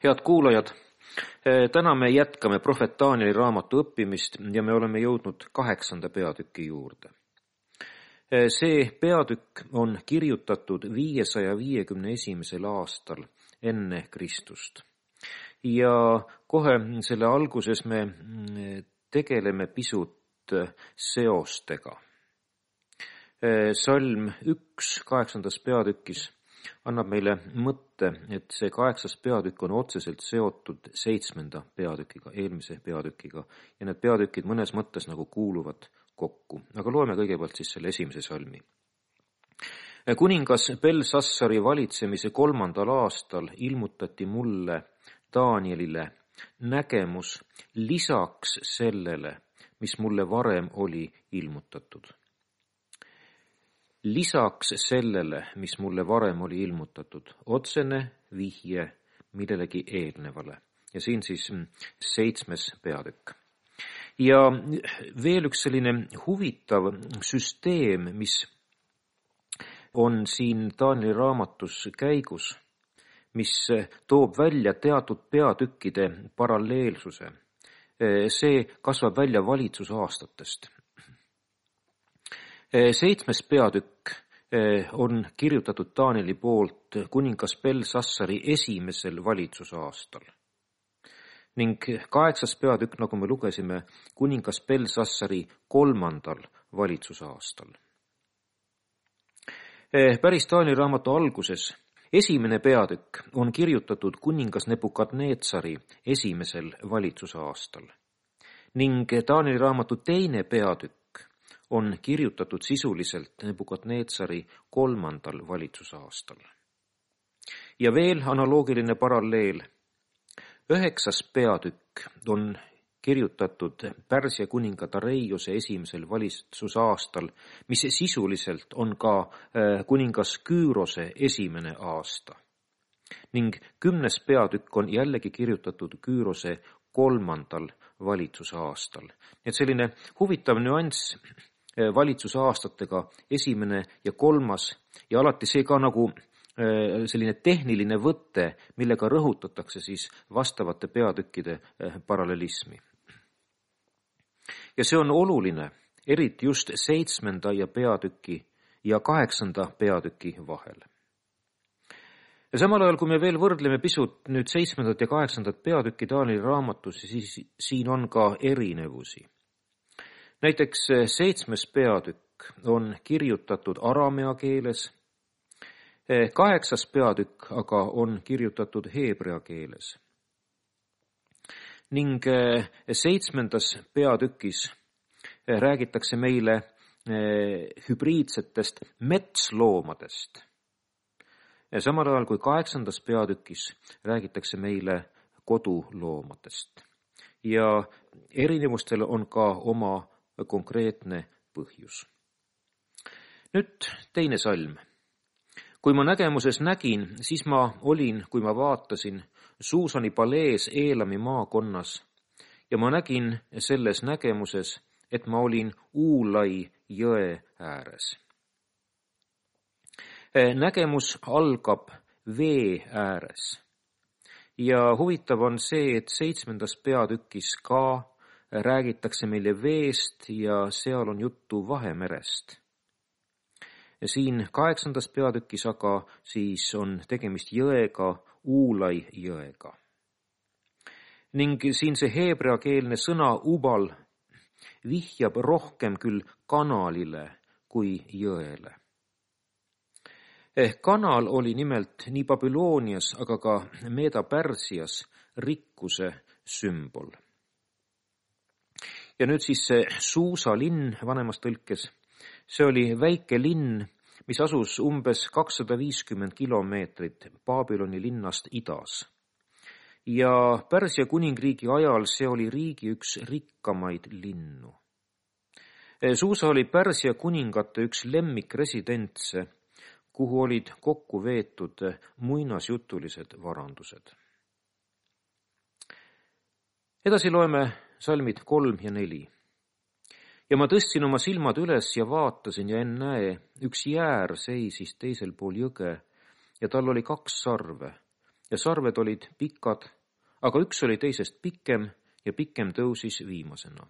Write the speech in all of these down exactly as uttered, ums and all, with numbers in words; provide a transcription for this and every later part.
Head kuulajad, täna me jätkame prohvet Danieli raamatu õppimist ja me oleme jõudnud kaheksanda peatüki juurde. See peatükk on kirjutatud viiesaja viiekümne esimesel aastal enne Kristust. Ja kohe selle alguses me tegeleme pisut seostega. Salm üks kaheksandas peatükis annab meile mõtte, et see kaheksas peatükk on otseselt seotud seitsmenda peatükiga, eelmise peatükiga, ja need peatükid mõnes mõttes nagu kuuluvad kokku. Aga loeme kõigepealt siis selle esimese salmi. Kuningas Belsassari valitsemise kolmandal aastal ilmutati mulle, Danielile, nägemus lisaks sellele, mis mulle varem oli ilmutatud. Lisaks sellele, mis mulle varem oli ilmutatud, otsene vihje millelegi eelnevale. Ja siin siis seitsmes peatükk. Ja veel üks selline huvitav süsteem, mis on siin Danieli raamatus käigus, mis toob välja teatud peatükkide paralleelsuse. See kasvab välja valitsusaastatest. Seitsmes peatükk on kirjutatud Danieli poolt kuningas Belsassari esimesel valitsusaastal. Ning kaheksas peatükk, nagu me lugesime, kuningas Belsassari kolmandal valitsusaastal. Päris Danieli raamatu alguses esimene peatükk on kirjutatud kuningas Nebukadnetsari esimesel valitsusaastal. Ning Danieli raamatu teine peatükk on kirjutatud sisuliselt Nebukadnetsari kolmandal valitsusaastal. Ja veel analoogiline paralleel. Üheksas peatükk on kirjutatud Pärsia kuninga Dareiose esimesel valitsusaastal, mis sisuliselt on ka kuningas Küürose esimene aasta. Ning kümnes peatükk on jällegi kirjutatud Küürose kolmandal valitsusaastal. Et selline huvitav nüanss valitsusaastatega esimene ja kolmas ja alati see ka nagu selline tehniline võte, millega rõhutatakse siis vastavate peatükkide parallelismi. Ja see on oluline, eriti just seitsmenda ja peatüki ja kaheksanda peatüki vahel. Ja samal ajal, kui me veel võrdleme pisut nüüd seitsmendat ja kaheksandat peatükki Danieli raamatus, siis siin on ka erinevusi. Näiteks seitsmes peatükk on kirjutatud aramea keeles, kaheksas peatükk aga on kirjutatud heebrea keeles. Ning seitsmendas peatükis räägitakse meile hübriidsetest metsloomadest. Ja samal ajal kui kaheksandas peatükis räägitakse meile koduloomadest. Ja erinevustel on ka oma konkreetne põhjus. Nüüd teine salm. Kui ma nägemuses nägin, siis ma olin, kui ma vaatasin, Suusani palees Eelami maakonnas ja ma nägin selles nägemuses, et ma olin Uulai jõe ääres. Nägemus algab vee ääres. Ja huvitav on see, et seitsmendas peatükis ka räägitakse meile veest ja seal on juttu Vahemerest. Ja siin kaheksandas peatükis aga siis on tegemist jõega, Uulai jõega. Ning siin see heebreakeelne sõna ubal vihjab rohkem küll kanalile kui jõele. Kanal oli nimelt nii Babylonias, aga ka Meeda-Pärsias rikkuse sümbol. Ja nüüd siis see Suusa linn vanemas tõlkes, see oli väike linn, mis asus umbes kakssada viiskümmend kilomeetrit Babyloni linnast idas. Ja Pärsia kuningriigi ajal see oli riigi üks rikkamaid linnu. Suusa oli Pärsia kuningate üks lemmikresidentse, kuhu olid kokku veetud muinasjutulised varandused. Edasi loeme salmid kolm ja neli. Ja ma tõstsin oma silmad üles ja vaatasin ja ennäe, üks jäär seisis teisel pool jõge ja tal oli kaks sarve ja sarved olid pikad, aga üks oli teisest pikem ja pikem tõusis viimasena.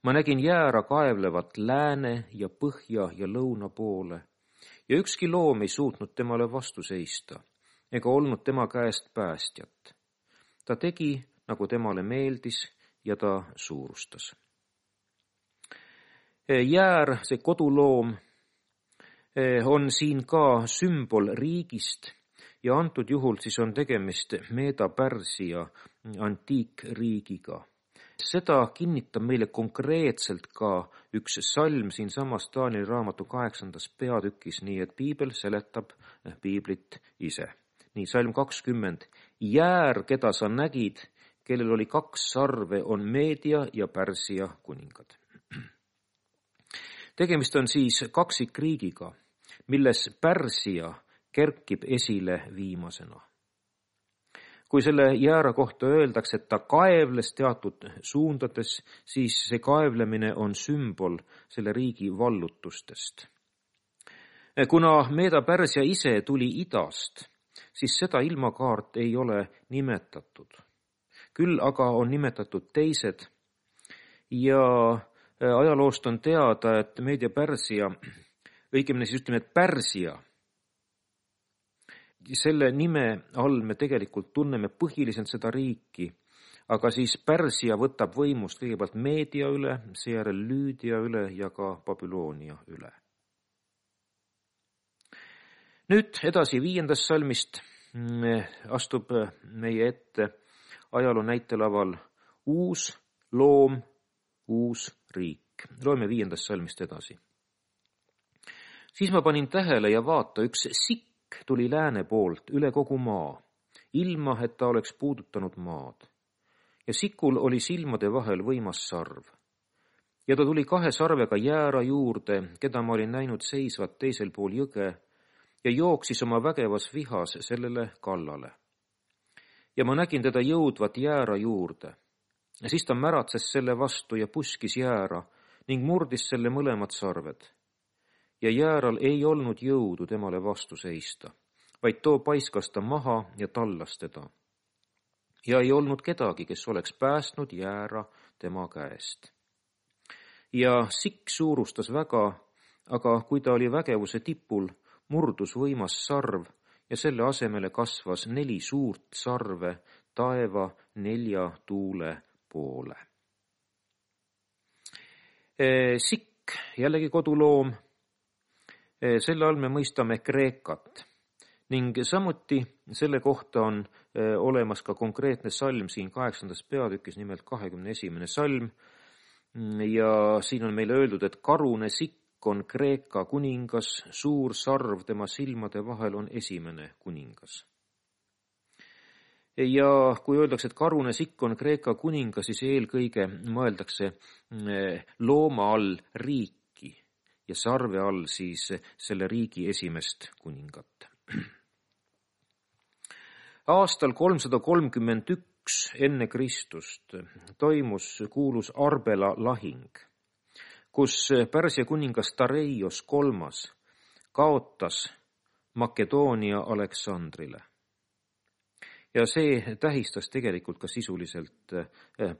Ma nägin jäära kaevlevat lääne ja põhja ja lõuna poole ja ükski loom ei suutnud temale vastu seista ega olnud tema käest päästjat. Ta tegi, nagu temale meeldis ja ta suurustas. Jäär, see koduloom, on siin ka sümbol riigist ja antud juhul siis on tegemist Meeda-Pärsia antiikriigiga. Seda kinnitab meile konkreetselt ka üks salm siin samas Taanieli raamatu kaheksandas peatükis, nii et piibel seletab piiblit ise. Nii, salm kakskümmend. Jäär, keda sa nägid, kellel oli kaks sarve, on Meedia ja Pärsia kuningad. Tegemist on siis kaksikriigiga, milles Pärsia kerkib esile viimasena. Kui selle jäära kohta öeldakse, et ta kaevles teatud suundades, siis see kaevlemine on sümbol selle riigi vallutustest. Kuna Meeda-Pärsia ise tuli idast, siis seda ilmakaart ei ole nimetatud. Küll aga on nimetatud teised ja ajaloost on teada, et Meedia-Pärsia, õigemini siis ütleme, et Pärsia, selle nime all me tegelikult tunneme põhiliselt seda riiki, aga siis Pärsia võtab võimust kõigepealt Meedia üle, seejärel Lüüdia üle ja ka Babyloonia üle. Nüüd edasi viiendast salmist astub meie ette ajaloo näitelaval uus loom, uus riik. Loeme viiendast salmist edasi. Siis ma panin tähele ja vaata, üks sikk tuli lääne poolt üle kogu maa, ilma et ta oleks puudutanud maad. Ja sikul oli silmade vahel võimas sarv. Ja ta tuli kahe sarvega jäära juurde, keda ma olin näinud seisvat teisel pool jõge, ja jooksis oma vägevas vihas sellele kallale. Ja ma nägin teda jõudvat jäära juurde. Ja siis ta märatses selle vastu ja puskis jäära ning murdis selle mõlemad sarved. Ja jääral ei olnud jõudu temale vastu seista, vaid too paiskas ta maha ja tallas teda. Ja ei olnud kedagi, kes oleks päästnud jäära tema käest. Ja sikk suurustas väga, aga kui ta oli vägevuse tipul, murdus võimas sarv ja selle asemele kasvas neli suurt sarve taeva nelja tuule poole. Sikk, jällegi koduloom, selle all me mõistame Kreekat ning samuti selle kohta on olemas ka konkreetne salm siin kaheksandas peatükis, nimelt kahekümne esimene salm ja siin on meile öeldud, et karune sikk on Kreeka kuningas, suur sarv tema silmade vahel on esimene kuningas. Ja kui öeldakse, et karune sikk on Kreeka kuningas, siis eelkõige mõeldakse looma all riiki ja sarve all siis selle riigi esimest kuningat. Aastal kolmsada kolmkümmend üks enne Kristust toimus kuulus Arbela lahing, kus Pärsia kuningas Dareios kolmas kaotas Makedoonia Aleksandrile. Ja see tähistas tegelikult ka sisuliselt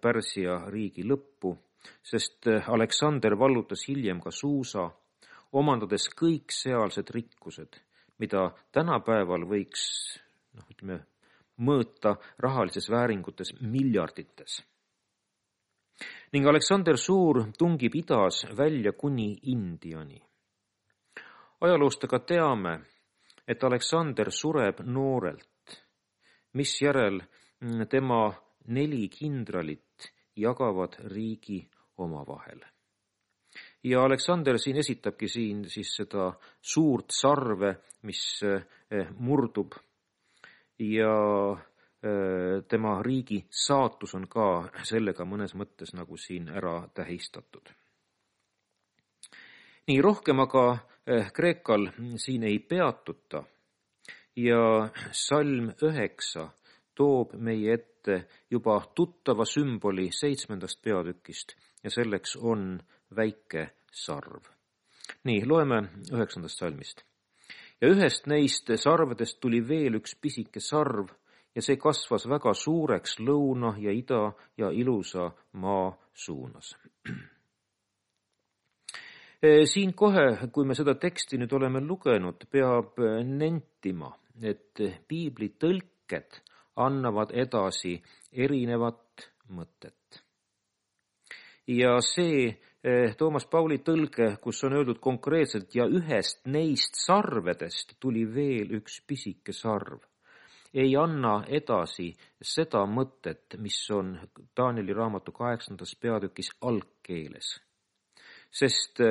Pärsia riigi lõppu, sest Aleksander vallutas hiljem ka Suusa, omandades kõik sealsed rikkused, mida tänapäeval võiks noh, ütleme, mõõta rahalises vääringutes miljardites. Ning Aleksander Suur tungib idas välja kuni Indiani. Ajaloost aga teame, et Aleksander sureb noorelt, misjärel tema neli kindralit jagavad riigi omavahel. Ja Aleksander siin esitabki siin siis seda suurt sarve, mis murdub ja tema riigi saatus on ka sellega mõnes mõttes nagu siin ära tähistatud. Nii rohkem aga Kreekal siin ei peatuta ja salm üheksa toob meie ette juba tuttava sümboli seitsmendast peatükist ja selleks on väike sarv. Nii, loeme üheksandast salmist. ja ühest neist sarvedest tuli veel üks pisike sarv ja see kasvas väga suureks lõuna ja ida ja ilusa maa suunas. Siin kohe, kui me seda teksti nüüd oleme lugenud, peab nentima, et piibli tõlked annavad edasi erinevat mõtet. Ja see Toomas Pauli tõlge, kus on öeldud konkreetselt ja ühest neist sarvedest tuli veel üks pisike sarv, ei anna edasi seda mõtet, mis on Danieli raamatu kaheksandas peatükis algkeeles. Sest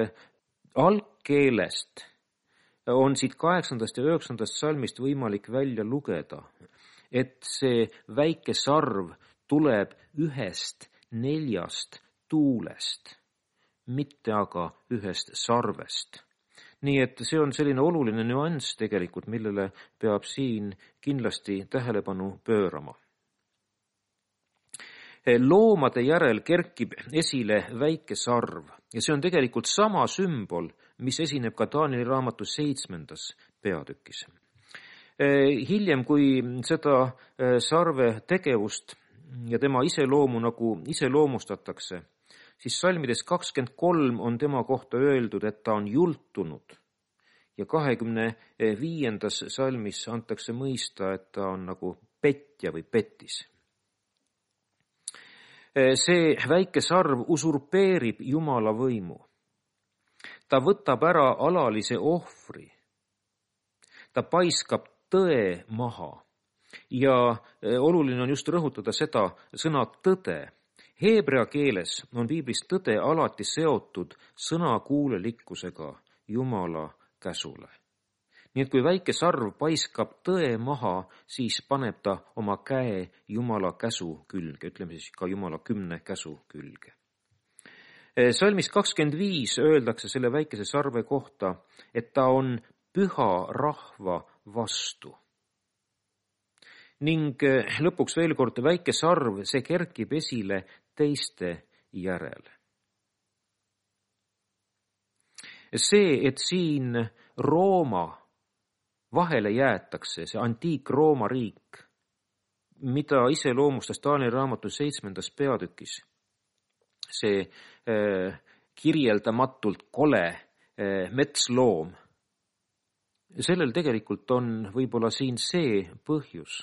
algkeelest on siit kaheksandast ja üheksandast salmist võimalik välja lugeda, et see väike sarv tuleb ühest neljast tuulest, mitte aga ühest sarvest. Nii et see on selline oluline nüanss tegelikult, millele peab siin kindlasti tähelepanu pöörama. Loomade järel kerkib esile väike sarv ja see on tegelikult sama sümbol, mis esineb ka Danieli raamatu seitsmendas peatükis. Hiljem, kui seda sarve tegevust ja tema iseloomu nagu iseloomustatakse, siis salmides kakskümmend kolm on tema kohta öeldud, et ta on jultunud ja kahekümne viiendas salmis antakse mõista, et ta on nagu petja või petis. See väike sarv usurpeerib Jumala võimu. Ta võtab ära alalise ohvri. Ta paiskab tõe maha ja oluline on just rõhutada seda sõna tõde. Heebrea keeles on piiblis tõde alati seotud sõnakuulelikkusega Jumala käsule. Nii et kui väike sarv paiskab tõe maha, siis paneb ta oma käe Jumala käsu külge, ütleme siis ka Jumala kümne käsu külge. Salmis kakskümmend viis öeldakse selle väikese sarve kohta, et ta on püha rahva vastu. Ning lõpuks veel kord väike sarv, see kerkib esile teiste järel. See, et siin Rooma vahele jäetakse, see antiik-Rooma riik, mida iseloomustas Danieli raamatu seitsmendas peatükis, see äh, kirjeldamatult kole äh, metsloom, sellel tegelikult on võib-olla siin see põhjus,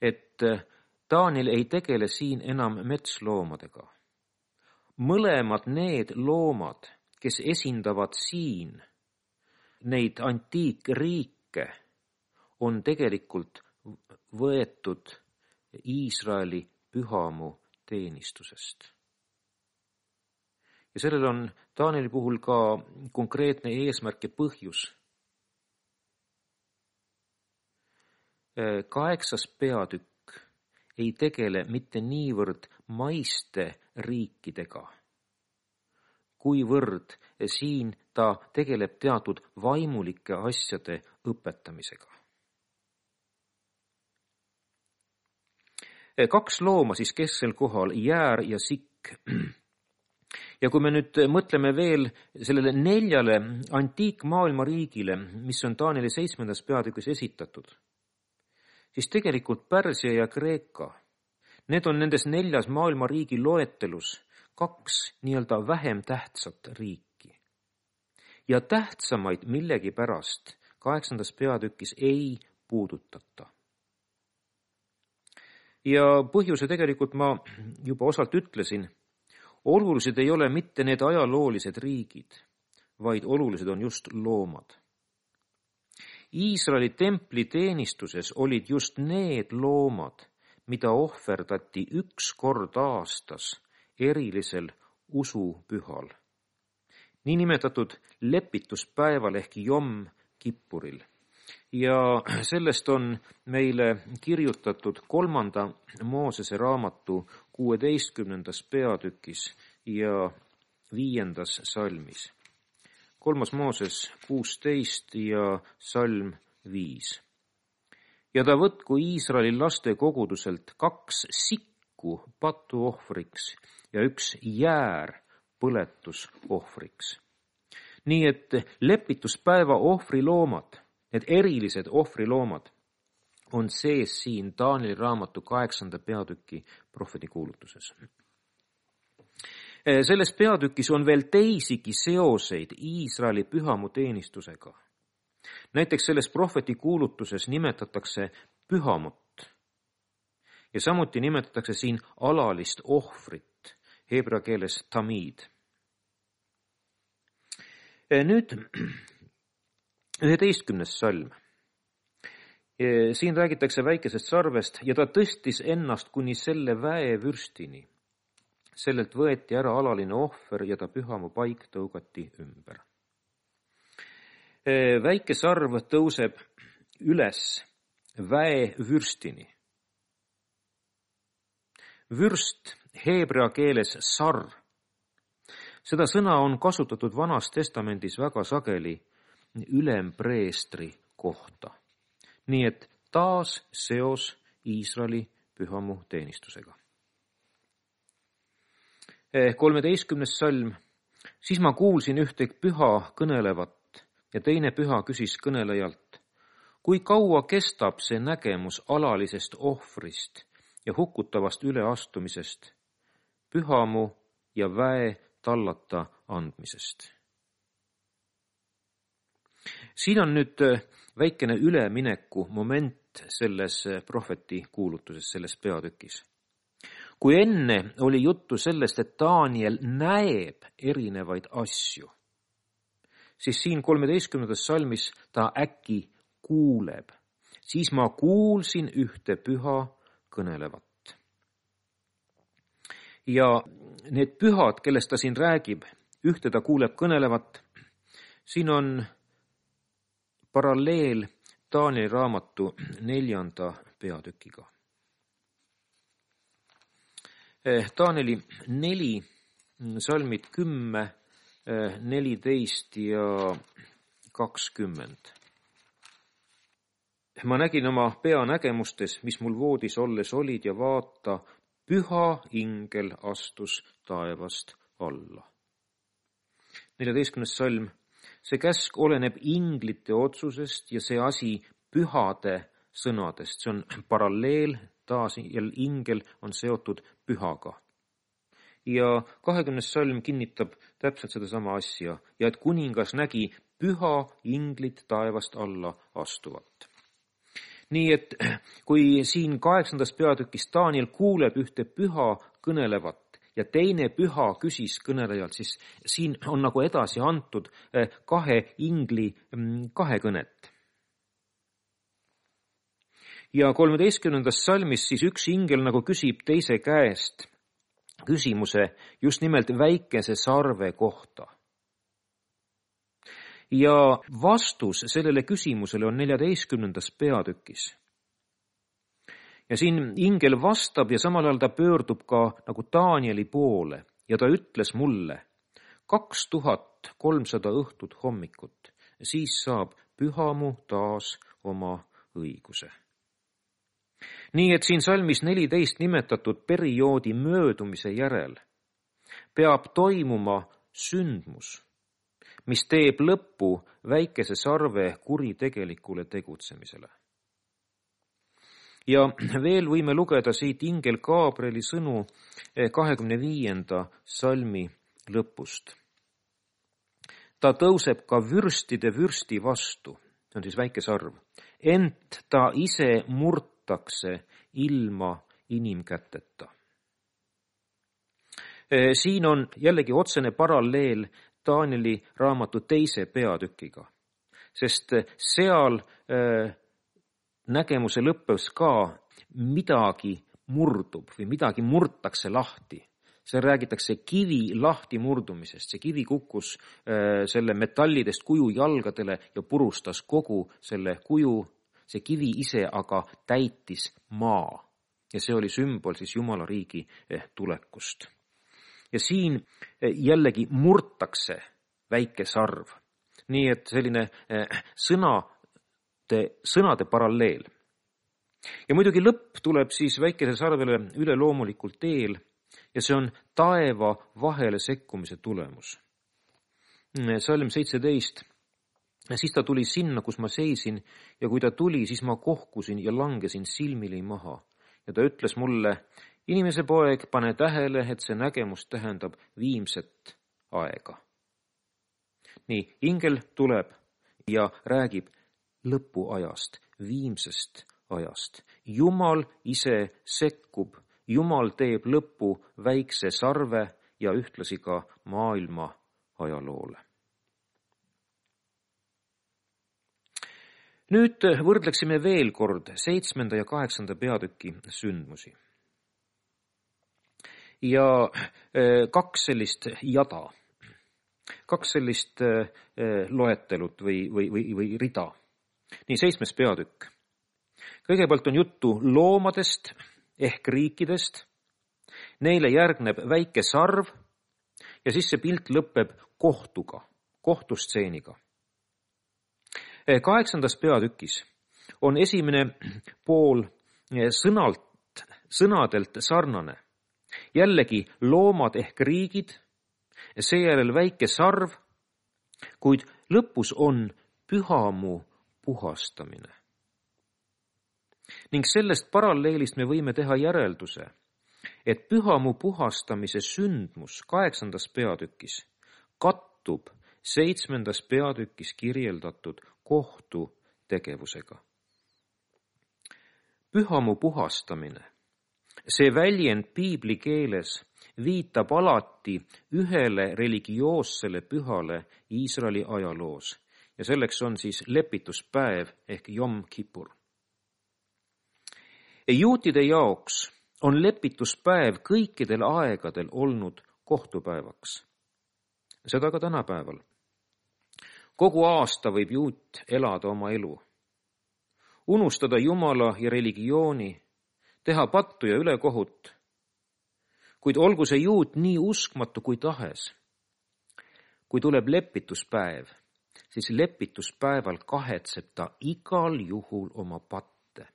et Daniel ei tegele siin enam metsloomadega. Mõlemad need loomad, kes esindavad siin neid antiikriike, on tegelikult võetud Iisraeli pühamu teenistusest. Ja sellel on Danieli puhul ka konkreetne eesmärk ja põhjus. Kaheksas peatükk ei tegele mitte niivõrd maiste riikidega, kuivõrd siin ta tegeleb teatud vaimulike asjade õpetamisega. Kaks looma siis kesksel kohal, jäär ja sikk. Ja kui me nüüd mõtleme veel sellele neljale antiikmaailma riigile, mis on Danieli seitsmendas peatükis esitatud, siis tegelikult Pärsia ja Kreeka, need on nendes neljas maailma riigi loetelus kaks nii-öelda vähem tähtsat riiki. Ja tähtsamaid millegi pärast kaheksandas peatükis ei puudutata. Ja põhjuse tegelikult ma juba osalt ütlesin, olulised ei ole mitte need ajaloolised riigid, vaid olulised on just loomad. Iisraeli templi teenistuses olid just need loomad, mida ohverdati üks kord aastas erilisel usupühal, niinimetatud lepituspäeval ehk Jom Kippuril. Ja sellest on meile kirjutatud kolmanda Moosese raamatu kuueteistkümnendas peatükis ja viiendas salmis. Kolmas Mooses kuusteist ja salm viis. Ja ta võtku Iisraeli laste koguduselt kaks sikku patuohvriks ja üks jäär põletusohvriks. Nii et lepituspäeva ohvriloomad need erilised ohvriloomad on sees siin Taanieli raamatu kaheksanda peatüki prohveti kuulutuses. Selles peatükis on veel teisigi seoseid Iisraeli pühamu teenistusega. Näiteks selles prohveti kuulutuses nimetatakse pühamut ja samuti nimetatakse siin alalist ohvrit, heebrea keeles tamid. Nüüd üheteistkümnes salm. Siin räägitakse väikesest sarvest ja ta tõstis ennast kuni selle väevürstini. Sellelt võeti ära alaline ohver ja ta pühamu paik tõugati ümber. Väike sarv tõuseb üles väevürstini. Vürst heebrea keeles sar. Seda sõna on kasutatud Vanas Testamendis väga sageli ülempreestri kohta. Nii et taas seos Iisraeli pühamu teenistusega. kolmeteistkümnes salm. Siis ma kuulsin ühte püha kõnelevat ja teine püha küsis kõnelejalt, kui kaua kestab see nägemus alalisest ohvrist ja hukutavast üleastumisest, pühamu ja väe tallata andmisest. Siin on nüüd väikene ülemineku moment selles prohveti kuulutuses, selles peatükis. Kui enne oli juttu sellest, et Taaniel näeb erinevaid asju, siis siin kolmeteistkümnendas salmis ta äkki kuuleb. Siis ma kuulsin ühte püha kõnelevat. Ja need pühad, kellest ta siin räägib, ühte ta kuuleb kõnelevat, siin on paralleel Taanieli raamatu neljanda peatükiga. Taanieli neli, salmid kümme, neliteist ja kakskümmend. Ma nägin oma peanägemustes, mis mul voodis olles olid ja vaata, püha ingel astus taevast alla. neljateistkümnes salm. See käsk oleneb inglite otsusest ja see asi pühade sõnadest. See on paralleel, taas jälle ingel on seotud pühaga. Ja kahekümnes salm kinnitab täpselt seda sama asja ja et kuningas nägi püha inglit taevast alla astuvat. Nii et kui siin kaheksandas peatükis Taaniel kuuleb ühte püha kõnelevat ja teine püha küsis kõnelejalt, siis siin on nagu edasi antud kahe ingli kahe kõnet. Ja kolmeteistkümnendas salmis siis üks ingel nagu küsib teise käest küsimuse just nimelt väikese sarve kohta. Ja vastus sellele küsimusele on neljateistkümnendas peatükis. Ja siin ingel vastab ja samal ajal ta pöördub ka nagu Taanieli poole ja ta ütles mulle kaks tuhat kolmsada õhtut hommikut, siis saab pühamu taas oma õiguse. Nii et siin salmis neliteist nimetatud perioodi möödumise järel peab toimuma sündmus, mis teeb lõppu väikese sarve kuritegelikule tegutsemisele. Ja veel võime lugeda siit ingel Gabrieli sõnu kahekümne viienda salmi lõpust. Ta tõuseb ka vürstide vürsti vastu, see on siis väike sarv, ent ta ise murtakse ilma inimkäteta. Siin on jällegi otsene paralleel Taanieli raamatu teise peatükiga, sest seal nägemuse lõppes ka midagi murdub või midagi murtakse lahti. See räägitakse kivi lahti murdumisest. See kivi kukkus selle metallidest kuju jalgadele ja purustas kogu selle kuju. See kivi ise aga täitis maa ja see oli sümbol siis Jumala riigi tulekust. Ja siin jällegi murtakse väike sarv. Nii et selline sõnade, sõnade paralleel. Ja muidugi lõpp tuleb siis väikese sarvele üleloomulikul teel ja see on taeva vahele sekkumise tulemus. Salm seitseteist. Siis ta tuli sinna, kus ma seisin, ja kui ta tuli, siis ma kohkusin ja langesin silmili maha. Ja ta ütles mulle, inimese poeg, pane tähele, et see nägemus tähendab viimset aega. Nii, ingel tuleb ja räägib lõpuajast, viimsest ajast. Jumal ise sekkub, Jumal teeb lõpu väikse sarve ja ühtlasi ka maailma ajaloole. Nüüd võrdleksime veel kord seitsmenda ja kaheksanda peatüki sündmusi. Ja kaks sellist jada, kaks sellist loetelut või, või, või, või rida. Nii, seitsmes peatükk. Kõigepealt on juttu loomadest ehk riikidest. Neile järgneb väike sarv ja siis see pilt lõpeb kohtuga, kohtustseeniga. Kaheksandas peatükis on esimene pool sõnalt, sõnadelt sarnane. Jällegi loomad ehk riigid, seejärel väike sarv, kuid lõpus on pühamu puhastamine. Ning sellest paralleelist me võime teha järelduse, et pühamu puhastamise sündmus kaheksandas peatükis kattub seitsmendas peatükis kirjeldatud kohtu tegevusega. Pühamu puhastamine, see väljend piibli keeles viitab alati ühele religioossele pühale Iisraeli ajaloos ja selleks on siis lepituspäev ehk Jom Kippur. Juutide jaoks on lepituspäev kõikidel aegadel olnud kohtupäevaks. Seda ka tänapäeval. Kogu aasta võib juut elada oma elu, unustada Jumala ja religiooni, teha pattu ja ülekohut, kuid olgu see juut nii uskmatu kui tahes. Kui tuleb lepituspäev, siis lepituspäeval kahetseb ta igal juhul oma patte,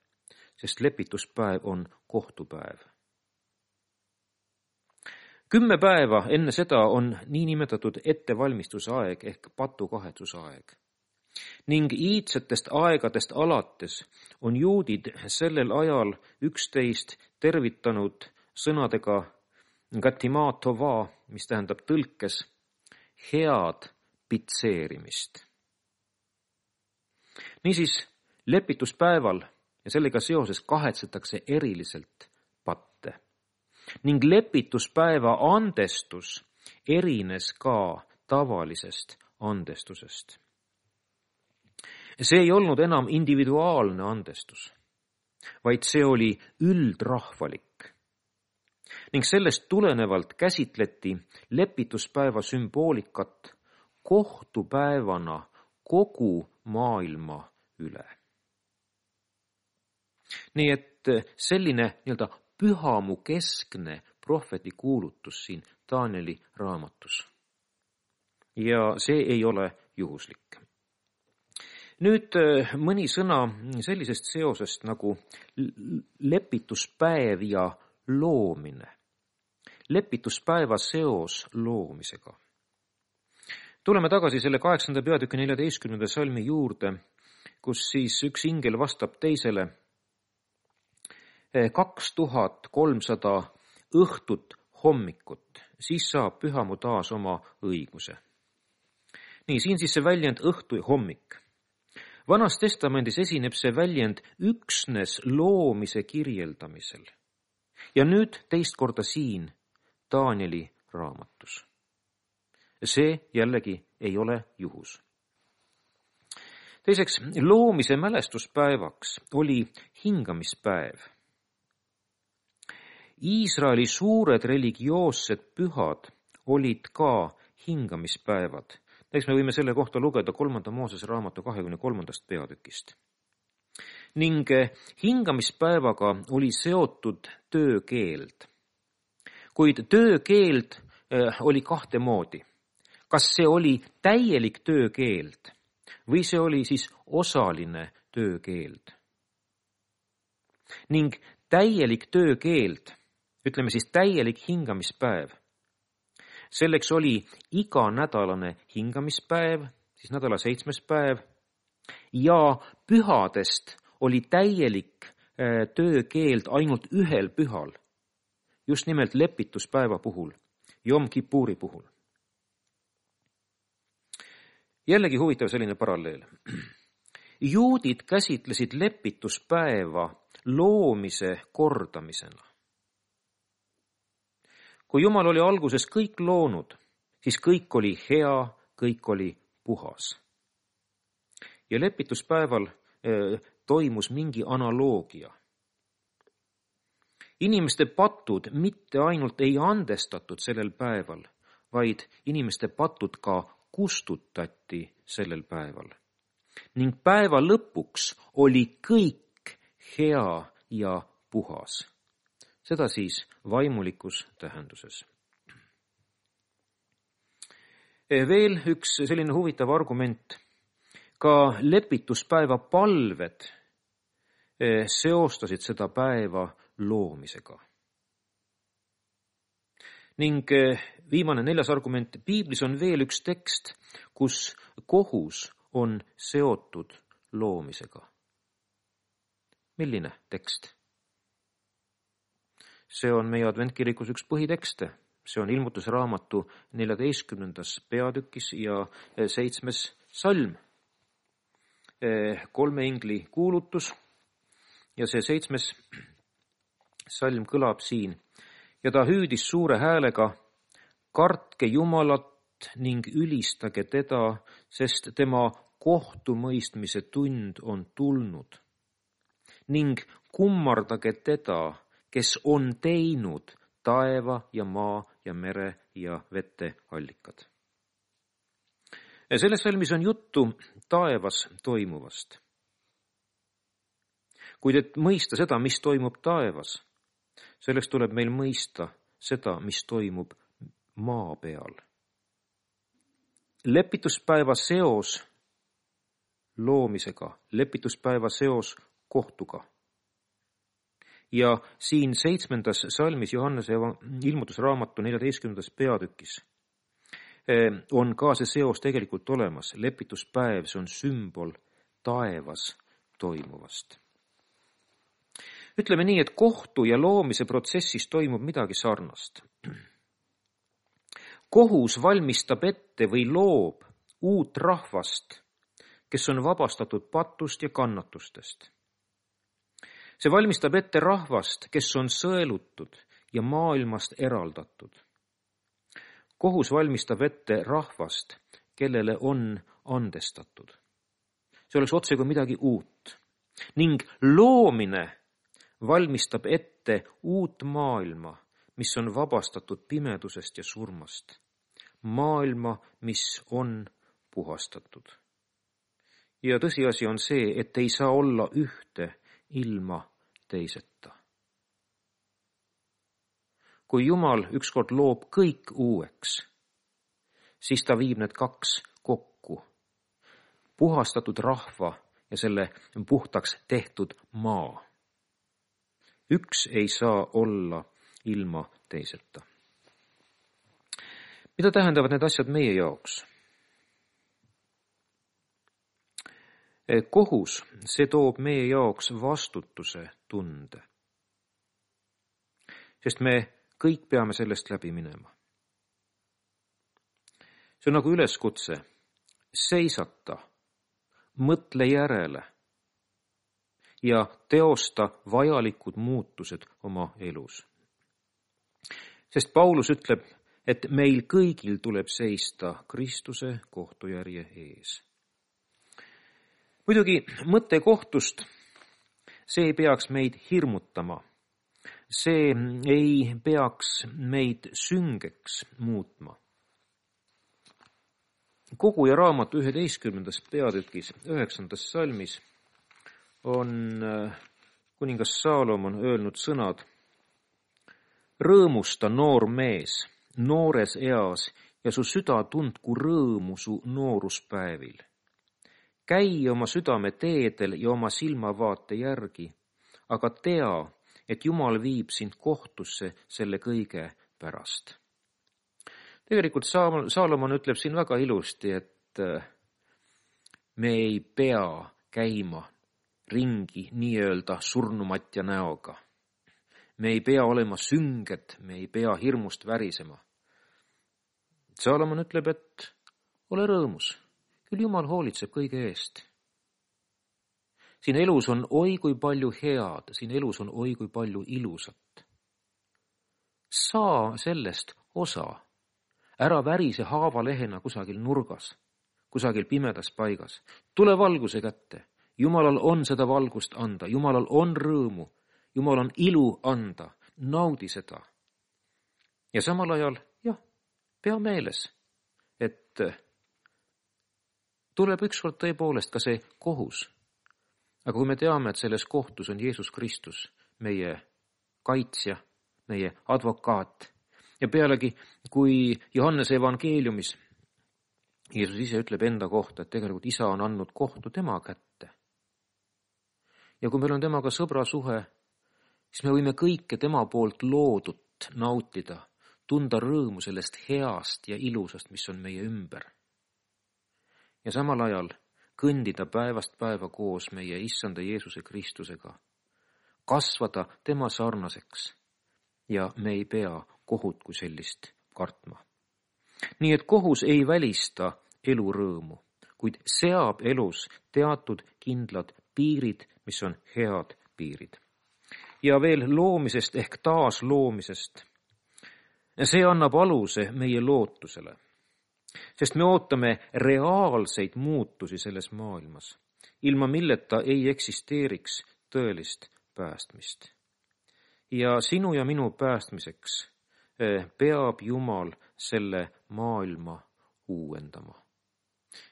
sest lepituspäev on kohtupäev. Kümme päeva enne seda on niinimetatud ettevalmistusaeg ehk patukahetsusaeg. Ning iidsetest aegadest alates on juudid sellel ajal üksteist tervitanud sõnadega gatimaa tova, mis tähendab tõlkes head pitseerimist. Niisiis lepituspäeval ja sellega seoses kahetsetakse eriliselt patte. Ning lepituspäeva andestus erines ka tavalisest andestusest. See ei olnud enam individuaalne andestus, vaid see oli üldrahvalik. Ning sellest tulenevalt käsitleti lepituspäeva sümboolikat kohtupäevana kogu maailma üle. Nii et selline nii-öelda pühamu keskne prohveti kuulutus siin Danieli raamatus. Ja see ei ole juhuslik. Nüüd mõni sõna sellisest seosest nagu lepituspäev ja loomine. Lepituspäeva seos loomisega. Tuleme tagasi selle kaheksanda peatüki neljateistkümnenda salmi juurde, kus siis üks ingel vastab teisele kaks tuhat kolmsada õhtut hommikut, siis saab pühamu taas oma õiguse. Nii, siin siis see väljend õhtu ja hommik. Vanas testamendis esineb see väljend üksnes loomise kirjeldamisel. Ja nüüd teist korda siin Danieli raamatus. See jällegi ei ole juhus. Teiseks, loomise mälestuspäevaks oli hingamispäev. Iisraeli suured religioossed pühad olid ka hingamispäevad. Näiteks me võime selle kohta lugeda kolmanda Moosese raamatu kahekümne kolmandast peatükist. Ning hingamispäevaga oli seotud töökeeld. Kuid töökeeld oli kahte moodi. Kas see oli täielik töökeeld või see oli siis osaline töökeeld? Ning täielik töökeeld, ütleme siis täielik hingamispäev. Selleks oli iganädalane hingamispäev, siis nädala seitsmes päev, ja pühadest oli täielik töökeeld ainult ühel pühal, just nimelt lepituspäeva puhul, Jom Kippuri puhul. Jällegi huvitav selline paralleel. Juudid käsitlesid lepituspäeva loomise kordamisena. Kui Jumal oli alguses kõik loonud, siis kõik oli hea, kõik oli puhas. Ja lepituspäeval eh, toimus mingi analoogia. Inimeste patud mitte ainult ei andestatud sellel päeval, vaid inimeste patud ka kustutati sellel päeval. Ning päeva lõpuks oli kõik hea ja puhas. Seda siis vaimulikus tähenduses. Veel üks selline huvitav argument. Ka lepituspäeva palved seostasid seda päeva loomisega. Ning viimane neljas argument. Piiblis on veel üks tekst, kus kohus on seotud loomisega. Milline tekst? See on meie adventkirikus üks põhitekste. See on ilmutusraamatu neljateistkümnendas peatükis ja seitsmes salm. Kolme ingli kuulutus ja see seitsmes salm kõlab siin. Ja ta hüüdis suure häälega, kartke Jumalat ning ülistage teda, sest tema kohtumõistmise tund on tulnud. Ning kummardage teda, kes on teinud taeva ja maa ja mere ja vete allikad. Selles salmis on juttu taevas toimuvast. Kuid et mõista seda, mis toimub taevas, selleks tuleb meil mõista seda, mis toimub maa peal. Lepituspäeva seos loomisega, lepituspäeva seos kohtuga. Ja siin seitsmendas salmis Johannese ilmutusraamatu neljateistkümnendas peatükis on ka see seos tegelikult olemas. Lepituspäev, see on sümbol taevas toimuvast. Ütleme nii, et kohtu ja loomise protsessis toimub midagi sarnast. Kohus valmistab ette või loob uut rahvast, kes on vabastatud patust ja kannatustest. See valmistab ette rahvast, kes on sõelutud ja maailmast eraldatud. Kohus valmistab ette rahvast, kellele on andestatud. See oleks otse kui midagi uut. Ning loomine valmistab ette uut maailma, mis on vabastatud pimedusest ja surmast. Maailma, mis on puhastatud. Ja tõsiasi on see, et ei saa olla ühte ilma teiseta. Kui Jumal ükskord loob kõik uueks, siis ta viib need kaks kokku. Puhastatud rahva ja selle puhtaks tehtud maa. Üks ei saa olla ilma teiseta. Mida tähendavad need asjad meie jaoks? Kohus, see toob meie jaoks vastutuse tunde. Sest me kõik peame sellest läbi minema. See on nagu üleskutse. Seisata, mõtle järele ja teosta vajalikud muutused oma elus. Sest Paulus ütleb, et meil kõigil tuleb seista Kristuse kohtujärje ees. Muidugi mõte kohtust, see ei peaks meid hirmutama. See ei peaks meid süngeks muutma. Koguja raamatu üheteistkümnendas peatükis, üheksandas salmis on kuningas Saalomon öelnud sõnad. Rõõmusta noor mees, noores eas ja su süda tundku rõõmu su nooruspäevil. Käi oma südame teedel ja oma silmavaate järgi, aga tea, et Jumal viib sind kohtusse selle kõige pärast. Tegelikult Saalomon ütleb siin väga ilusti, et Me ei pea käima ringi nii-öelda surnumatja näoga. Me ei pea olema sünged, me ei pea hirmust värisema. Saalomon ütleb, et ole rõõmus, küll Jumal hoolitseb kõige eest. Siin elus on oi kui palju head, siin elus on oi kui palju ilusat. Saa sellest osa, ära värise haavalehena kusagil nurgas, kusagil pimedas paigas. Tule valguse kätte, Jumalal on seda valgust anda, Jumalal on rõõmu, Jumal on ilu anda, naudi seda. Ja samal ajal, jah, pea meeles, et tuleb ükskord tõepoolest ka see kohus. Aga kui me teame, et selles kohtus on Jeesus Kristus, meie kaitsja, meie advokaat, ja pealegi, kui Johannese evangeeliumis Jeesus ise ütleb enda kohta, et tegelikult isa on andnud kohtu tema kätte. Ja kui meil on temaga sõbra suhe, siis me võime kõike tema poolt loodut nautida, tunda rõõmu sellest heast ja ilusast, mis on meie ümber. Ja samal ajal kõndida päevast päeva koos meie issanda Jeesuse Kristusega, kasvada tema sarnaseks ja me ei pea kohut kui sellist kartma. Nii et kohus ei välista elu rõõmu, kuid seab elus teatud kindlad piirid, mis on head piirid. Ja veel loomisest ehk taas loomisest. See annab aluse meie lootusele, sest me ootame reaalseid muutusi selles maailmas, ilma milleta ei eksisteeriks tõelist päästmist. Ja sinu ja minu päästmiseks peab Jumal selle maailma uuendama.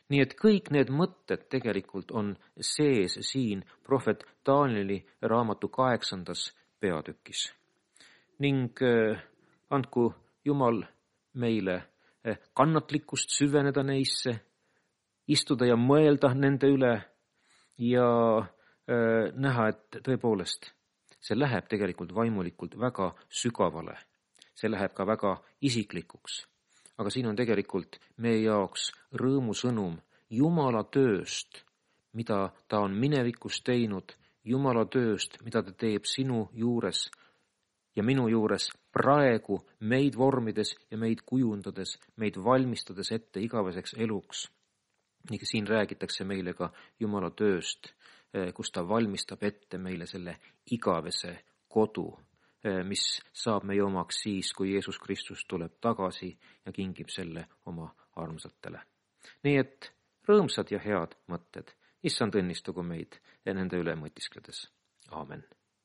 Nii et kõik need mõtted tegelikult on sees siin prohvet Danieli raamatu kaheksandas peatükis. Ning andku Jumal meile kannatlikkust süveneda neisse, istuda ja mõelda nende üle ja näha, et tõepoolest see läheb tegelikult vaimulikult väga sügavale. See läheb ka väga isiklikuks. Aga siin on tegelikult meie jaoks rõõmusõnum Jumala tööst, mida ta on minevikus teinud, Jumala tööst, mida ta teeb sinu juures ja minu juures praegu meid vormides ja meid kujundades, meid valmistades ette igaveseks eluks. Nii siin räägitakse meile ka Jumala tööst, kus ta valmistab ette meile selle igavese kodu, mis saab meie omaks siis, kui Jeesus Kristus tuleb tagasi ja kingib selle oma armsatele. Nii et rõõmsad ja head mõtted, issand õnnistagu meid ja nende üle mõtiskledes. Aamen.